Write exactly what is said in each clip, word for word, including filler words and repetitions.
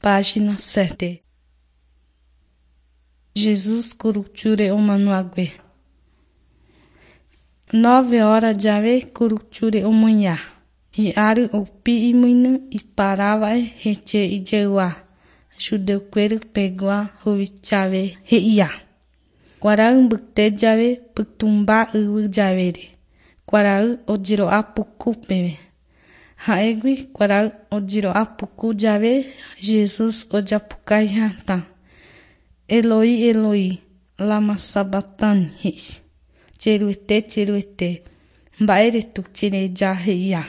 Página sete. Jesús kurusúre omanohague. Nove horas jave kurusúre omoĩha. Hi'áry opi imyny iparáva'e hete ijegua judeukuéra pegua huvichave he'iha. Kuarahy mbyte jave pytũmba yvy javére, kuarahy ojero'a puku peve. Ha'égui kuarahy ojero'a puku jave Jesús osapukái hatã: Eloi, Eloi, lama sabactani, he'i. Che Ruete, che Ruete, mba'éretu chereja he'iha.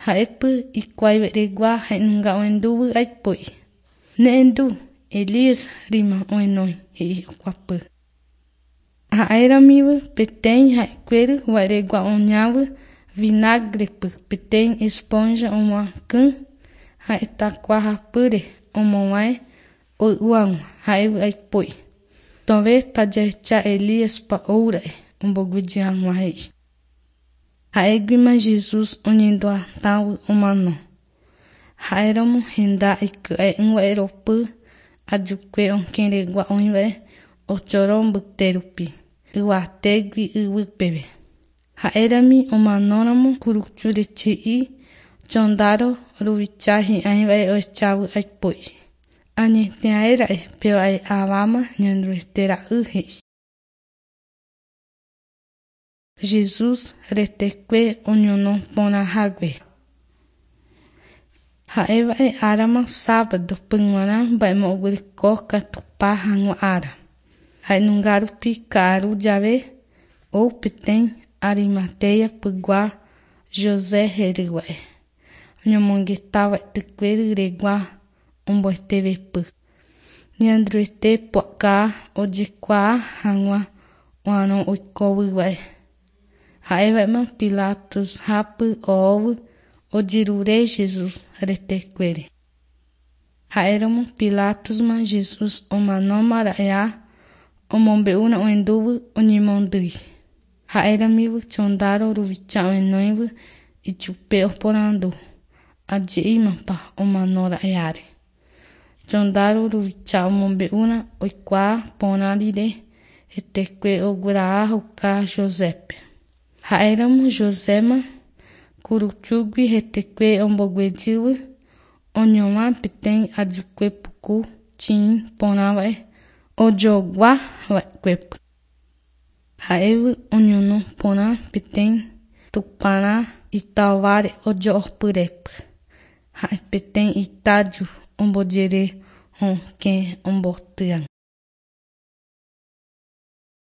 Ha'épy ikuaiveregua ha'enunga ohendúvy aipo'i. Ne'ẽndu, Elías rima ohenói, he'i okuapy. Ha'éramívy peteĩ ha'ekuéry va'eregua oñávy vinagrepy peteĩ esponja omoakỹ ha'etakuahapýre omovãi hoy'u hag̃ua ha'évy aipo'i. Tove tajahecha Elíaspa oúra'e omboguejy hag̃ua he'i. Ha'éguima Jesús oñenduhatãvy omano. Ha'éramo henda iky'e'ỹva'e ropy ajukue okẽregua oĩva'e ochoro mbyte rupi, yvatégui yvy peve. Ha'érami omanóramo kurusúre he'i chondaro ruvicha hi'ãiva'e ohechávy aipo'i. Añeteaéra'e péva'e aváma Ñanderuete ra'y he'i. Jesús retekue oñono porãhague. Ha'éva'e árama sábado g̃uarã mba'emoguereko katupa hag̃ua ára. Ha'enunga rupi ka'aru jave ou peteĩ Arimatea-pygua José hérýva'e. Oñomongetáva itykuéry regua ombohetevépy. Ñanderuete pu'aka ojekuaa hag̃ua oarõ oikóvyva'e. Ha'éva'ema Pilatus hápy ohóvy ojerure Jesús retekuére. Ha'éramo Pilatusma Jesús omanómara'eha omombe'úrõ ohendúvy oñemondýi. Ha'éramívy chondaro ruvicha ohenóivy ichupe oporandu aje'ímapa omanóra'eháre. Chondaro ruvicha omombe'úrõ oikuaa porã rire hetekue ogueraháuka Josépe. Ha'éramo Joséma kurusúgui hetekue omboguejývy oñovã peteĩ ajukue puku chiĩ porãva'e ojoguava'ekuépy. Ha'évy oñono porã peteĩ tuparã itaováre ojo'opyrépy. Ha'e peteĩ itaju ombojere hokẽ ombotýva.